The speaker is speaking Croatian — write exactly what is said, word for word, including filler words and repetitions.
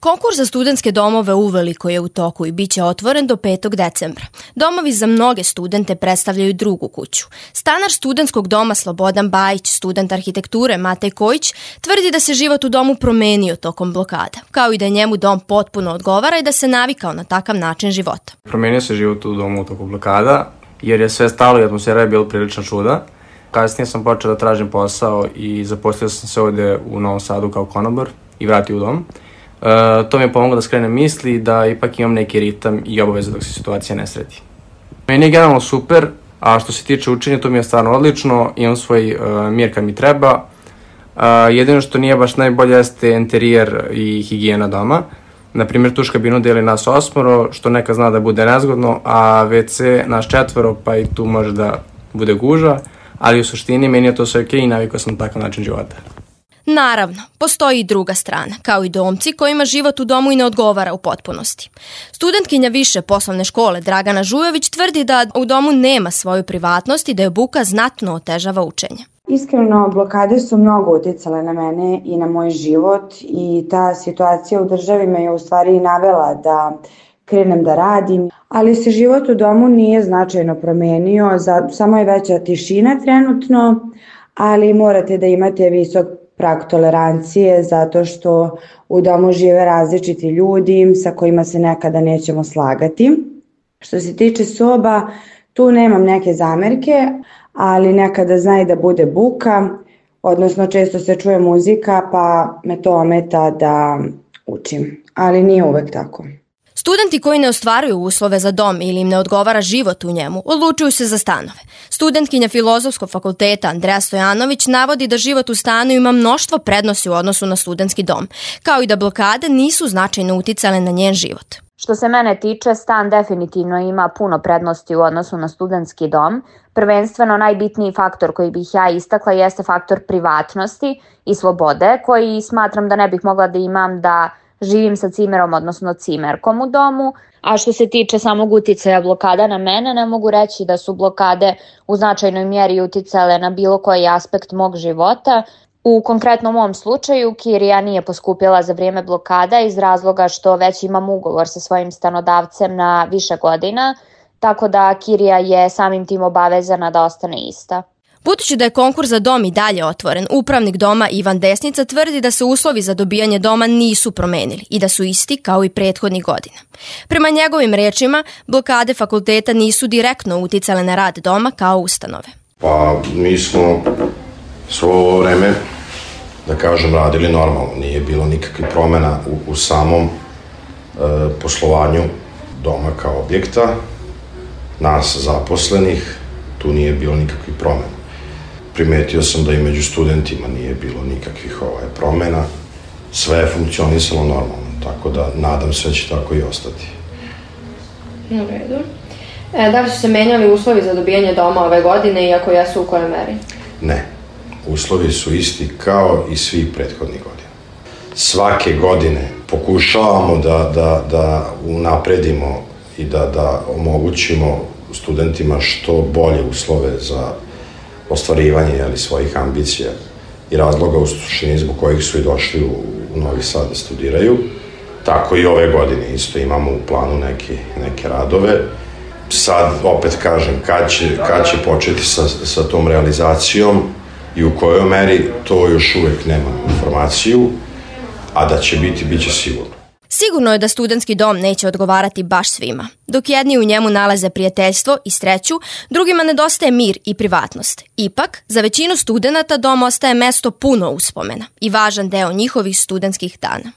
Konkurs za studentske domove uveliko je u toku i bit će otvoren do petog decembra. Domovi za mnoge studente predstavljaju drugu kuću. Stanar studentskog doma Slobodan Bajić, student arhitekture Matej Kojić, tvrdi da se život u domu promenio tokom blokada, kao i da njemu dom potpuno odgovara i da se navikao na takav način života. Promenio se život u domu u toku blokada, jer je sve stalo i atmosfera je bila prilično čuda. Kasnije sam počeo da tražim posao i zaposlio sam se ovde u Novom Sadu kao konobar i vratio u dom. Uh, to mi je pomoglo da skrenem misli i da ipak imam neki ritam i obaveze dok se situacija ne sredi. Meni je generalno super, a što se tiče učenja, to mi je stvarno odlično, imam svoj uh, mir kad mi treba. Uh, jedino što nije baš najbolje jeste interijer i higijena doma. Naprimjer, tuš kabinu deli nas osmoro, što neka zna da bude nezgodno, a ve ce naš četvoro, pa i tu može da bude guža, ali u suštini meni je to sve okej i navikao sam takav način života. Naravno, postoji i druga strana, kao i domci kojima život u domu i ne odgovara u potpunosti. Studentkinja više poslovne škole Dragana Žujović tvrdi da u domu nema svoju privatnost i da je buka znatno otežava učenje. Iskreno, blokade su mnogo uticale na mene i na moj život i ta situacija u državi me je u stvari i navela da krenem da radim, ali se život u domu nije značajno promenio, samo je veća tišina trenutno, ali morate da imate visok prag tolerancije zato što u domu žive različiti ljudi sa kojima se nekada nećemo slagati. Što se tiče soba, tu nemam neke zamerke, ali nekada zna i da bude buka, odnosno često se čuje muzika pa me to ometa da učim, ali nije uvek tako. Studenti koji ne ostvaruju uslove za dom ili im ne odgovara život u njemu, odlučuju se za stanove. Studentkinja Filozofskog fakulteta Andreja Stojanović navodi da život u stanu ima mnoštvo prednosti u odnosu na studentski dom, kao i da blokade nisu značajno uticale na njen život. Što se mene tiče, stan definitivno ima puno prednosti u odnosu na studentski dom. Prvenstveno najbitniji faktor koji bih ja istakla jeste faktor privatnosti i slobode, koji smatram da ne bih mogla da imam da živim sa cimerom, odnosno cimerkom u domu. A što se tiče samog uticaja blokada na mene, ne mogu reći da su blokade u značajnoj mjeri uticale na bilo koji aspekt mog života. U konkretnom mom slučaju, kirija nije poskupila za vrijeme blokada iz razloga što već imam ugovor sa svojim stanodavcem na više godina, tako da kirija je samim tim obavezana da ostane ista. Budući da je konkurs za dom i dalje otvoren, upravnik doma Ivan Desnica tvrdi da se uslovi za dobijanje doma nisu promenili i da su isti kao i prethodnih godina. Prema njegovim rečima, blokade fakulteta nisu direktno uticale na rad doma kao ustanove. Pa mi smo svo ovo vreme, da kažem, radili normalno. Nije bilo nikakvih promjena u, u samom e, poslovanju doma kao objekta. Nas zaposlenih, tu nije bilo nikakvih promjena. Primetio sam da i među studentima nije bilo nikakvih ovaj, promjena. Sve je funkcionisalo normalno, tako da nadam se da će tako i ostati. U redu. E, da li su se menjali uslovi za dobijanje doma ove godine, iako jesu u kojoj meri? Ne. Uslovi su isti kao i svih prethodnih godina. Svake godine pokušavamo da, da, da unapredimo i da, da omogućimo studentima što bolje uslove za ostvarivanje jeli, svojih ambicija i razloga u suštini zbog kojih su i došli u, u Novi Sad da studiraju. Tako i ove godine isto imamo u planu neke, neke radove. Sad, opet kažem, kad će, kad će početi sa, sa tom realizacijom i u kojoj meri, to još uvek nemam informaciju, a da će biti, bit će sigurno. Sigurno je da studentski dom neće odgovarati baš svima. Dok jedni u njemu nalaze prijateljstvo i sreću, drugima nedostaje mir i privatnost. Ipak, za većinu studenata dom ostaje mesto puno uspomena i važan deo njihovih studentskih dana.